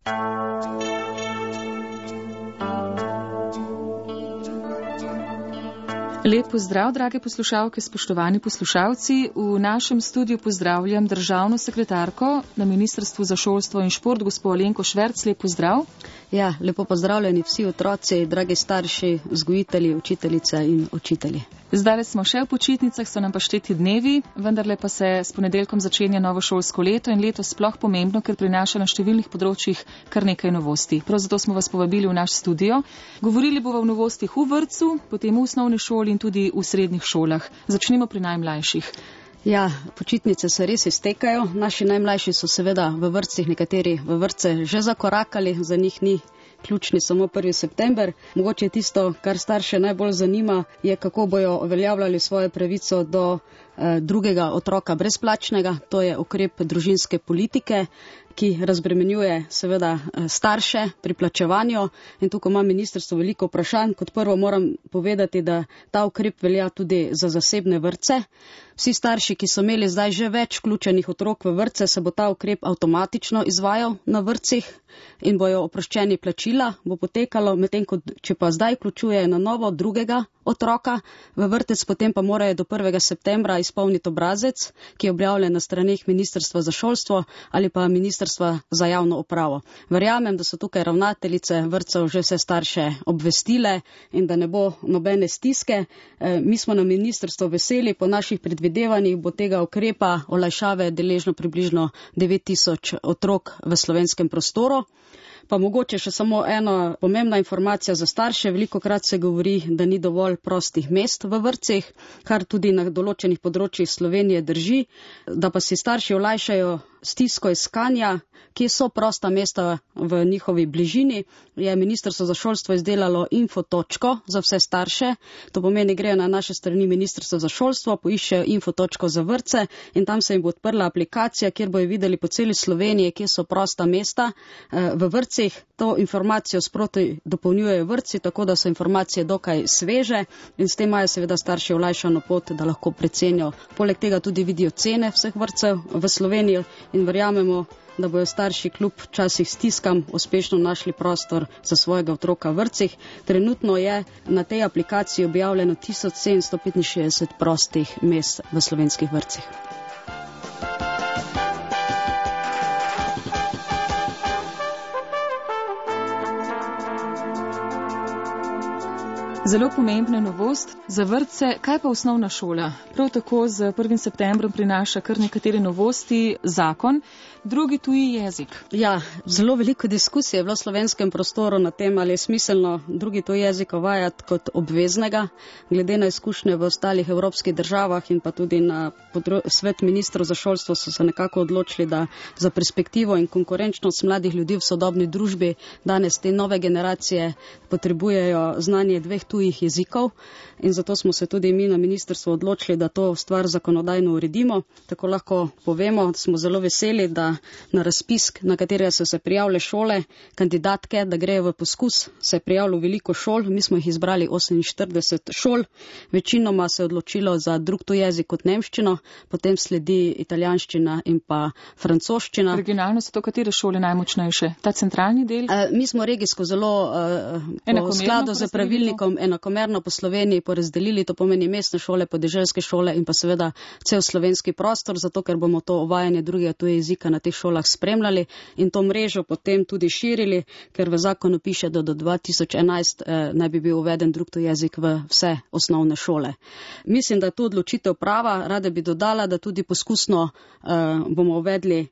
Lep pozdrav, drage poslušalke, spoštovani poslušalci. V našem studiu pozdravljam državno sekretarko na Ministrstvu za šolstvo in šport, gospo Alenko Šverc. Lep pozdrav. Ja, lepo pozdravljeni vsi otroci, dragi starši, vzgojitelji, učiteljice in učitelji. Zdaj smo še v počitnicah, so nam pa šteti dnevi, vendarle pa se s ponedeljkom začenja novo šolsko leto in leto sploh pomembno, ker prinaša na številnih področjih kar nekaj novosti. Prav zato smo vas povabili v naš studio. Govorili bomo o novostih v vrtcu, potem v osnovni šoli in tudi v srednjih šolah. Začnimo pri najmlajših. Ja, počitnice se res iztekajo. Naši najmlajši so seveda v vrtcih, nekateri v vrtce že zakorakali, za njih ni ključni samo 1. september. Mogoče tisto, kar starše najbolj zanima, je, kako bojo uveljavljali svojo pravico do drugega otroka brezplačnega. To je ukrep družinske politike, ki razbremenjuje seveda starše pri plačevanju, in tukaj ima ministrstvo veliko vprašanj. Kot prvo moram povedati, da ta ukrep velja tudi za zasebne vrtce. Vsi starši, ki so imeli zdaj že več vključenih otrok v vrtce, se bo ta ukrep avtomatično izvajal na vrtcih in bojo oproščeni plačila, bo potekalo, medtem ko če pa zdaj vključujejo na novo drugega otroka v vrtec, potem pa morajo do 1. septembra izpolniti obrazec, ki je objavljen na straneh Ministrstva za šolstvo ali pa Ministrstva za javno upravo. Verjamem, da so tukaj ravnateljice vrtcev že vse starše obvestile in da ne bo nobene stiske. Mi smo na ministrstvu veseli, po naših predvidevanjih bo tega ukrepa olajšave deležno približno 9000 otrok v slovenskem prostoru. Pa mogoče še samo ena pomembna informacija za starše. Velikokrat se govori, da ni dovolj prostih mest v vrtcih, kar tudi na določenih področjih Slovenije drži, da pa si starši olajšajo stisko iskanja, kje so prosta mesta v njihovi bližini, je Ministrstvo za šolstvo izdelalo infotočko za vse starše. To pomeni, grejo na naše strani Ministrstvo za šolstvo, poiščejo infotočko za vrtce in tam se jim bo odprla aplikacija, kjer bojo videli po celi Sloveniji, kje so prosta mesta v vrtcih. To informacijo sproti dopolnjujejo vrtci, tako da so informacije dokaj sveže in s tem imajo seveda starši olajšano pot, da lahko precenijo. Poleg tega tudi vidijo cene vseh vrtcev v Sloveniji in verjamemo, da bojo starši kljub včasih stiskam uspešno našli prostor za svojega otroka v vrtcih. Trenutno je na tej aplikaciji objavljeno 1765 prostih mest v slovenskih vrtcih. Zelo pomembna novost za vrtce. Kaj pa osnovna šola? Prav tako z 1. septembrom prinaša kar nekatere novosti zakon, drugi tuji jezik. Ja, zelo veliko diskusije je bilo v slovenskem prostoru na tem, ali je smiselno drugi tuji jezik uvajati kot obveznega. Glede na izkušnje v ostalih evropskih državah in pa tudi na svet ministrov za šolstvo so se nekako odločili, da za perspektivo in konkurenčnost mladih ljudi v sodobni družbi danes te nove generacije potrebujejo znanje dveh tujih jezikov in zato smo se tudi mi na ministrstvu odločili, da to stvar zakonodajno uredimo. Tako lahko povemo, da smo zelo veseli, da na razpis, na katerega so se prijavile šole, kandidatke, da grejo v poskus, se je prijavilo veliko šol. Mi smo jih izbrali 48 šol. Večinoma se je odločilo za drug tuj jezik kot nemščino, potem sledi italijanščina in pa francoščina. Regionalno so to katere šole najmočnejše? Ta centralni del? Mi smo regijsko zelo v skladu z pravilnikom enakomerno po Sloveniji porazdelili, to pomeni mestne šole, podeželske šole in pa seveda cel slovenski prostor, zato ker bomo to uvajanje drugega tujega jezika na teh šolah spremljali in to mrežo potem tudi širili, ker v zakonu piše, da do 2011 naj bi bil uveden drug tuji jezik v vse osnovne šole. Mislim, da je to odločitev prava. Rada bi dodala, da tudi poskusno bomo uvedli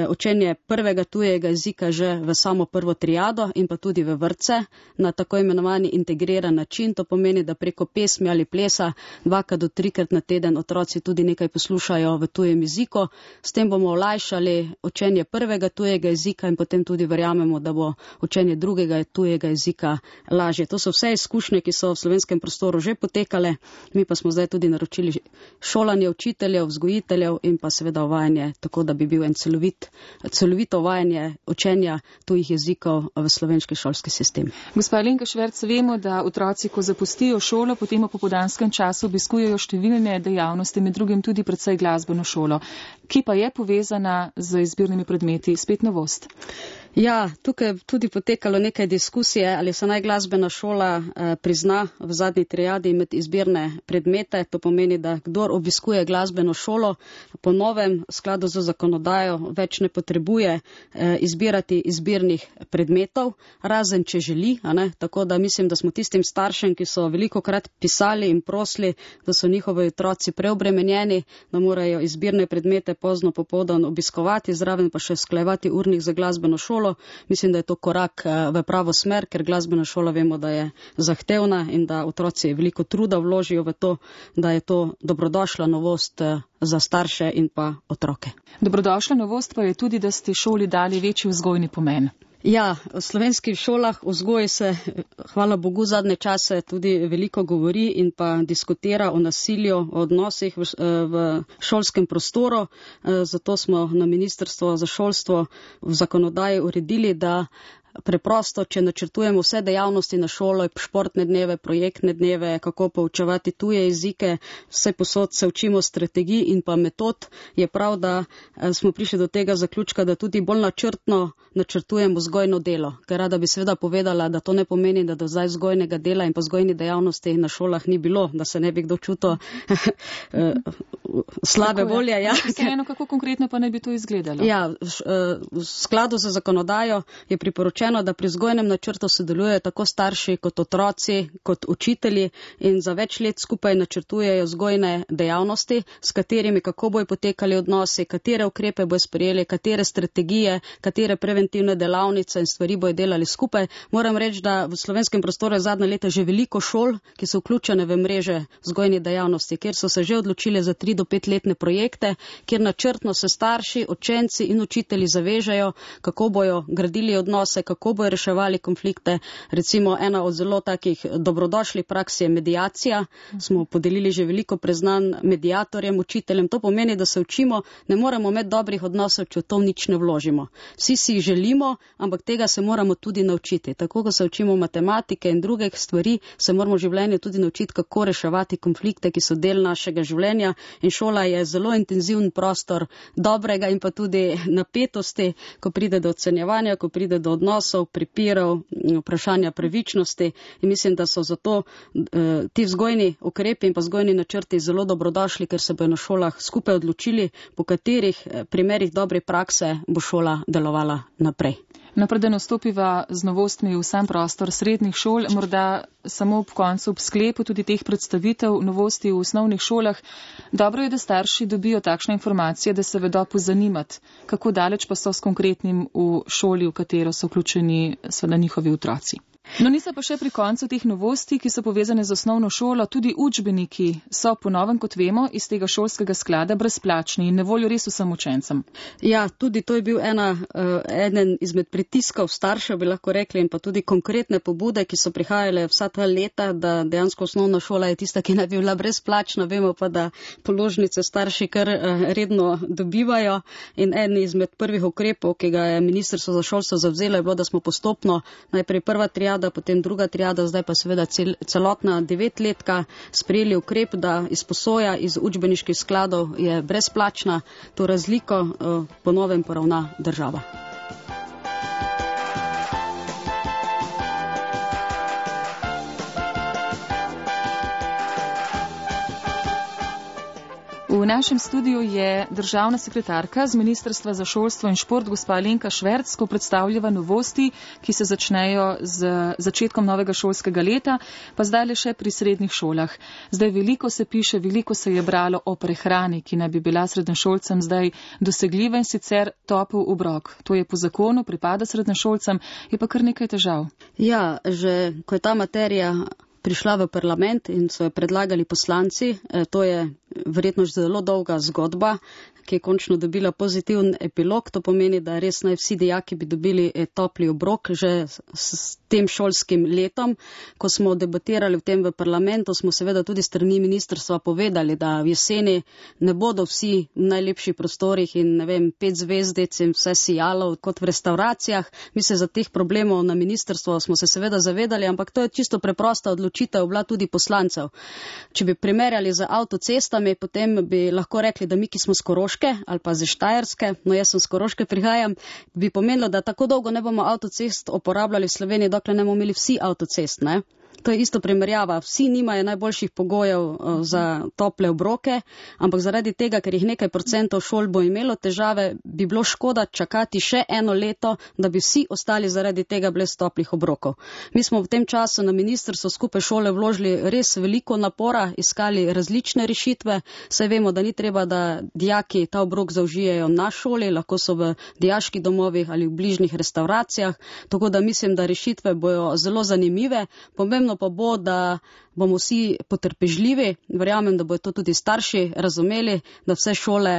učenje prvega tujega jezika že v samo prvo triado in pa tudi v vrtce na tako imenovani integriran način. To pomeni, da preko pesmi ali plesa 2 do 3 na teden otroci tudi nekaj poslušajo v tujem jeziku. S tem bomo olajšali učenje prvega tujega jezika in potem tudi verjamemo, da bo učenje drugega tujega jezika lažje. To so vse izkušnje, ki so v slovenskem prostoru že potekale. Mi pa smo zdaj tudi naročili šolanje učiteljev, vzgojiteljev in pa seveda uvajanje, tako da bi bil en celovito uvajanje učenja tujih jezikov v slovenski šolski sistem. Gospa Alenka Šverc, vemo, da otroci, ko zapustijo šolo, potem v popoldanskem času obiskujejo številne dejavnosti, med drugim tudi predvsej glasbeno šolo, ki pa je povezana z izbirnimi predmeti. Spet novost. Ja, tukaj je tudi potekalo nekaj diskusije, ali se naj glasbena šola prizna v zadnji triadi med izbirne predmete. To pomeni, da kdor obiskuje glasbeno šolo, po novem skladu z zakonodajo več ne potrebuje izbirati izbirnih predmetov, razen če želi. Tako da mislim, da smo tistim staršem, ki so velikokrat pisali in prosili, da so njihovi otroci preobremenjeni, da morajo izbirne predmete pozno popoldan obiskovati, zraven pa še usklajevati urnik za glasbeno šolo. Mislim, da je to korak v pravo smer, ker glasbena šola vemo, da je zahtevna in da otroci veliko truda vložijo v to, da je to dobrodošla novost za starše in pa otroke. Dobrodošla novost pa je tudi, da ste šoli dali večji vzgojni pomen. Ja, v slovenskih šolah o vzgoji se, hvala Bogu, zadnje čase tudi veliko govori in pa diskutira o nasilju, o odnosih v šolskem prostoru. Zato smo na Ministrstvo za šolstvo v zakonodaji uredili, da preprosto, če načrtujemo vse dejavnosti na šolo, športne dneve, projektne dneve, kako poučevati tuje jezike, vse posod se učimo strategij in pa metod, je prav, da smo prišli do tega zaključka, da tudi bolj načrtno načrtujemo vzgojno delo. Ker rada bi seveda povedala, da to ne pomeni, da do zdaj vzgojnega dela in pa vzgojni dejavnosti na šolah ni bilo, da se ne bi kdo čutil slabe volje. Ja. Vseeno, kako konkretno pa ne bi to izgledalo? Ja, v skladu z zakonodajo je priporočeno, da pri vzgojnem načrtu sodelujejo tako starši kot otroci, kot učitelji in za več let skupaj načrtujejo vzgojne dejavnosti, s katerimi kako bojo potekali odnosi, katere ukrepe bojo sprejeli, katere strategije, katere preventivne delavnice in stvari bojo delali skupaj. Moram reči, da v slovenskem prostoru je zadnja leta že veliko šol, ki so vključene v mreže vzgojnih dejavnosti, kjer so se že odločili za 3 do 5 letne projekte, kjer načrtno se starši, učenci in učitelji zavežejo, kako bojo gradili odnose, kako bojo reševali konflikte. Recimo ena od zelo takih dobrodošlih praks je mediacija. Smo podelili že veliko priznanj mediatorjem, učiteljem. To pomeni, da se učimo, ne moremo imeti dobrih odnosov, če v to nič ne vložimo. Vsi si jih želimo, ampak tega se moramo tudi naučiti. Tako, ko se učimo matematike in drugih stvari, se moramo v življenju tudi naučiti, kako reševati konflikte, ki so del našega življenja. In šola je zelo intenziven prostor dobrega in pa tudi napetosti, ko pride do ocenjevanja, ko pride do odnosov, pripirov, vprašanja pravičnosti. In mislim, da so zato ti vzgojni ukrepi in pa vzgojni načrti zelo dobrodošli, ker se bojo na šolah skupaj odločili, po katerih primerih dobre prakse bo šola delovala naprej. Preden vstopiva z novostmi v sam prostor srednjih šol, morda samo ob koncu, ob sklepu tudi teh predstavitev novosti v osnovnih šolah, dobro je, da starši dobijo takšne informacije, da se vedo pozanimati, kako daleč pa so s konkretnim v šoli, v katero so vključeni seveda njihovi otroci. Niso pa še pri koncu teh novosti, ki so povezane z osnovno šolo, tudi učbeniki so po novem, kot vemo, iz tega šolskega sklada brezplačni in na voljo res vsem učencem. Ja, tudi to je bil eden izmed pritiskov staršev, bi lahko rekli, in pa tudi konkretne pobude, ki so prihajale vsa ta leta, da dejansko osnovna šola je tista, ki naj bi bila brezplačna. Vemo pa, da položnice starši kar redno dobivajo in eden izmed prvih ukrepov, ki ga je Ministrstvo za šolstvo zavzelo, je bilo, da smo postopno najprej prva triada, potem druga triada, zdaj pa seveda celotna 9-letka sprejeli ukrep, da izposoja iz učbeniških skladov je brezplačna, to razliko po novem poravna država. V našem studiu je državna sekretarka z Ministrstva za šolstvo in šport, gospa Alenka Šverc, ko predstavljava novosti, ki se začnejo z začetkom novega šolskega leta, pa zdaj le še pri srednjih šolah. Zdaj veliko se piše, veliko se je bralo o prehrani, ki naj bi bila srednješolcem zdaj dosegljiva in sicer topel obrok. To je po zakonu, pripada srednješolcem, je pa kar nekaj težav. Ja, že ko je ta materija prišla v parlament in so jo predlagali poslanci, to je verjetno zelo dolga zgodba, ki je končno dobila pozitiven epilog. To pomeni, da res naj vsi dijaki bi dobili topli obrok že s tem šolskim letom. Ko smo debatirali v tem v parlamentu, smo seveda tudi strani ministrstva povedali, da v jeseni ne bodo vsi v najlepših prostorih in 5 zvezdic in vse sijalo kot v restauracijah. Mi se za teh problemov na ministrstvo smo se seveda zavedali, ampak to je čisto preprosta odločitev bila tudi poslancev. Če bi primerjali z avtocestami, šolami, potem bi lahko rekli, da mi, ki smo z Koroške ali pa z Štajerske, no jaz sem z Koroške prihajam, bi pomenilo, da tako dolgo ne bomo avtocest uporabljali v Sloveniji, dokler ne bomo imeli vsi avtocest, ne? To je isto primerjava. Vsi nimajo najboljših pogojev za tople obroke, ampak zaradi tega, ker jih nekaj procentov šol bo imelo težave, bi bilo škoda čakati še eno leto, da bi vsi ostali zaradi tega brez toplih obrokov. Mi smo v tem času na ministrstvu skupaj šole vložili res veliko napora, iskali različne rešitve. Saj vemo, da ni treba, da dijaki ta obrok zaužijejo na šoli, lahko so v dijaških domovih ali v bližnjih restauracijah, tako da mislim, da rešitve bojo zelo zanimive. Pomembno pa bo, da bomo vsi potrpežljivi, verjamem, da bodo to tudi starši razumeli, da vse šole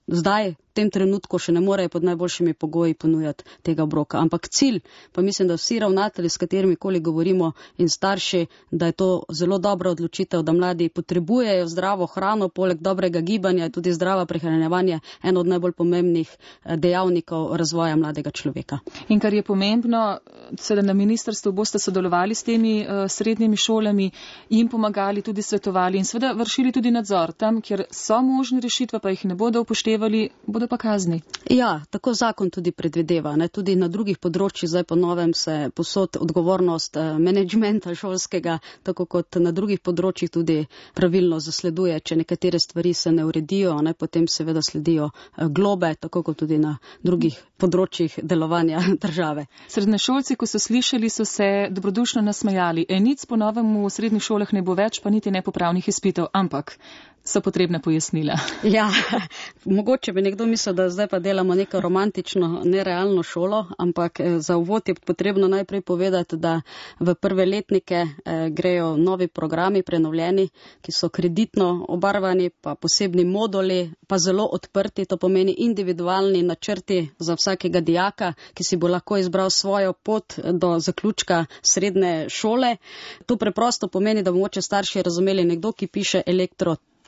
zdaj v tem trenutku še ne morejo pod najboljšimi pogoji ponujati tega obroka. Ampak cilj, pa mislim, da vsi ravnatelji, s katerimi koli govorimo in starši, da je to zelo dobra odločitev, da mladi potrebujejo zdravo hrano, poleg dobrega gibanja, tudi zdrava prehranjevanje, eno od najbolj pomembnih dejavnikov razvoja mladega človeka. In kar je pomembno, seveda na ministrstvu boste sodelovali s temi srednjimi šolami, jim pomagali, tudi svetovali in seveda vršili tudi nadzor. Tam, kjer so možne rešitve, pa jih ne bodo upoštevali, bodo pa kazni. Ja, tako zakon tudi predvideva. Ne? Tudi na drugih področjih zdaj po novem se posod odgovornost menedžmenta šolskega, tako kot na drugih področjih tudi pravilno zasleduje. Če nekatere stvari se ne uredijo, ne? Potem seveda sledijo globe, tako kot tudi na drugih področjih delovanja države. Srednješolci, ko so slišali, so se dobrodušno nasmejali. Enic po novem v srednjih šolah ne bo več, pa niti nepopravnih izpitov, ampak so potrebne pojasnila. Ja, mogoče bi nekdo mislil, da zdaj pa delamo neko romantično, nerealno šolo, ampak za uvod je potrebno najprej povedati, da v prve letnike grejo novi programi prenovljeni, ki so kreditno obarvani, pa posebni moduli, pa zelo odprti, to pomeni individualni načrti za vsakega dijaka, ki si bo lahko izbral svojo pot do zaključka srednje šole. To preprosto pomeni, da bo mogoče starši razumeli, nekdo, ki piše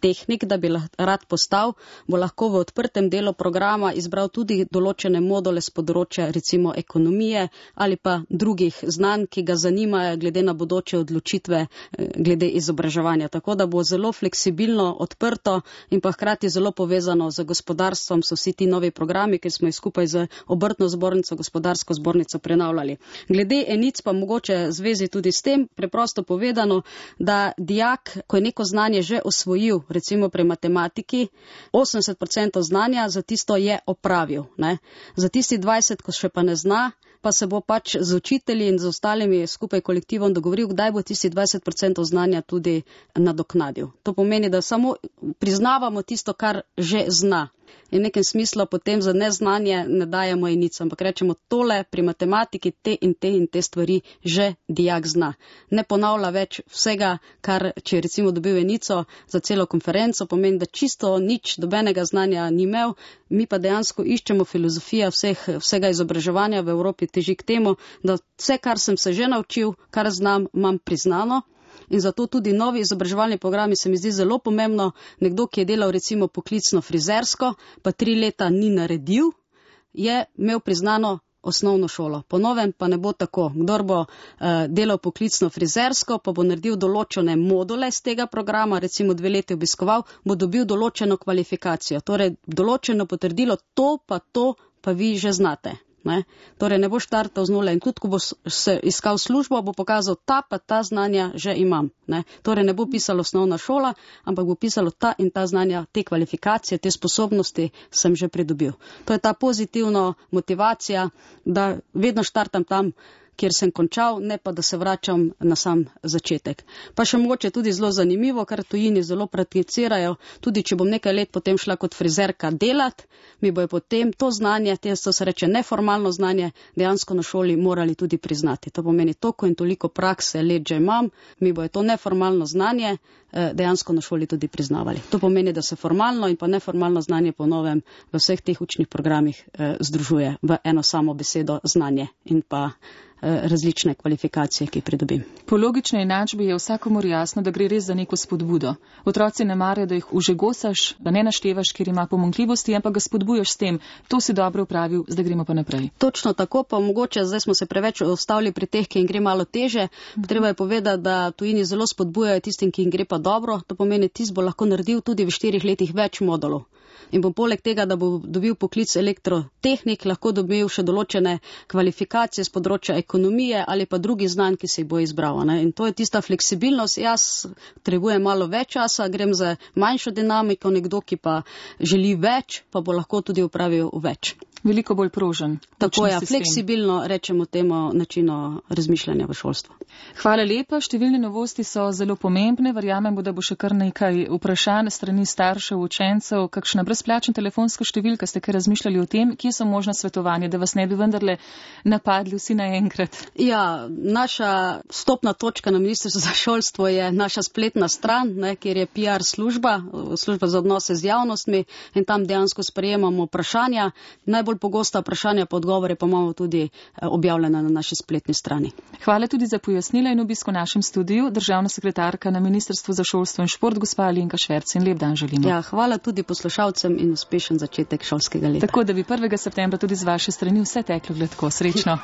tehnik, da bi rad postal, bo lahko v odprtem delu programa izbral tudi določene module z področja recimo ekonomije ali pa drugih znanj, ki ga zanimajo glede na bodoče odločitve glede izobraževanja. Tako da bo zelo fleksibilno, odprto in pa hkrati zelo povezano z gospodarstvom so vsi ti novi programi, ki smo jih skupaj z obrtno zbornico, gospodarsko zbornico prenavljali. Glede enic pa mogoče zvezi tudi s tem, preprosto povedano, da dijak, ko je neko znanje že osvojil, recimo pri matematiki, 80% znanja za tisto je opravil. Ne? Za tisti 20, ko še pa ne zna, pa se bo pač z učitelji in z ostalimi skupaj kolektivom dogovoril, kdaj bo tisti 20% znanja tudi nadoknadil. To pomeni, da samo priznavamo tisto, kar že zna. In v nekem smislu potem za neznanje ne dajemo enic, ampak rečemo tole pri matematiki te in te stvari že dijak zna. Ne ponavlja več vsega, kar če je recimo dobil enico za celo konferenco, pomeni, da čisto nič dobenega znanja ni imel, mi pa dejansko iščemo filozofija vsega izobraževanja v Evropi teži k temu, da vse, kar sem se že naučil, kar znam, imam priznano. In zato tudi novi izobraževalni programi se mi zdi zelo pomembno. Nekdo, ki je delal recimo poklicno frizersko, pa 3 leta ni naredil, je imel priznano osnovno šolo. Po novem pa ne bo tako. Kdor bo delal poklicno frizersko, pa bo naredil določene module z tega programa, recimo 2 leti obiskoval, bo dobil določeno kvalifikacijo. Torej, določeno potrdilo, to pa vi že znate. Ne? Torej ne bo štartal z nule in tudi, ko bo se iskal službo, bo pokazal ta znanja že imam. Ne? Torej ne bo pisalo osnovna šola, ampak bo pisalo ta in ta znanja, te kvalifikacije, te sposobnosti sem že pridobil. To je ta pozitivna motivacija, da vedno štartam tam, kjer sem končal, ne pa da se vračam na sam začetek. Pa še mogoče tudi zelo zanimivo, kar tujini zelo prakticirajo, tudi če bom nekaj let potem šla kot frizerka delat, mi bojo potem to znanje, to se reče neformalno znanje, dejansko na šoli morali tudi priznati. To pomeni toliko in toliko prakse let že imam, mi bojo to neformalno znanje dejansko na šoli tudi priznavali. To pomeni, da se formalno in pa neformalno znanje po novem v vseh teh učnih programih združuje v eno samo besedo znanje in pa različne kvalifikacije, ki pridobim. Po logični enačbi je vsakomur jasno, da gre res za neko spodbudo. Otroci ne marajo, da jih užegosaš, da ne naštevaš, ker ima pomanjkljivosti, ampak ga spodbujaš s tem, to si dobro upravil, zdaj gremo pa naprej. Točno tako, pa mogoče zdaj smo se preveč ustavili pri teh, ki jim gre malo teže. Treba je povedati, da tujini zelo spodbujajo tistim, ki jim gre pa dobro. To pomeni, tisti bo lahko naredil tudi v 4 letih več modulov. In bo poleg tega, da bo dobil poklic elektrotehnik, lahko dobil še določene kvalifikacije z področja ekonomije ali pa drugih znanj, ki se jih bo izbral. Ne? In to je tista fleksibilnost. Jaz potrebujem malo več časa, grem za manjšo dinamiko, nekdo, ki pa želi več, pa bo lahko tudi upravil več. Veliko bolj prožen. Tako je, fleksibilno rečemo temu načinu razmišljanja v šolstvu. Hvala lepa, številne novosti so zelo pomembne, verjamem, da bo še kar nekaj vprašanj strani staršev, učencev, kakšna brezplačna telefonska številka, ste kaj razmišljali o tem, kje so možna svetovanja, da vas ne bi vendarle napadli vsi naenkrat? Ja, naša vstopna točka na Ministrstvu za šolstvo je naša spletna stran, kjer je PR služba za odnose z javnostmi in tam dejansko sprejemamo vprašanja. Najbolj pogosta vprašanja pa odgovore pa imamo tudi objavljena na naši spletni strani. Hvala tudi za pojasnila in obisk v našem studiu, državna sekretarka na Ministrstvu za šolstvo in šport, gospa Alenka Šverc, in lep dan želimo. Ja, hvala tudi poslušalcem in uspešen začetek šolskega leta. Tako, da bi 1. septembra tudi z vaše strani vse teklo gladko. Srečno.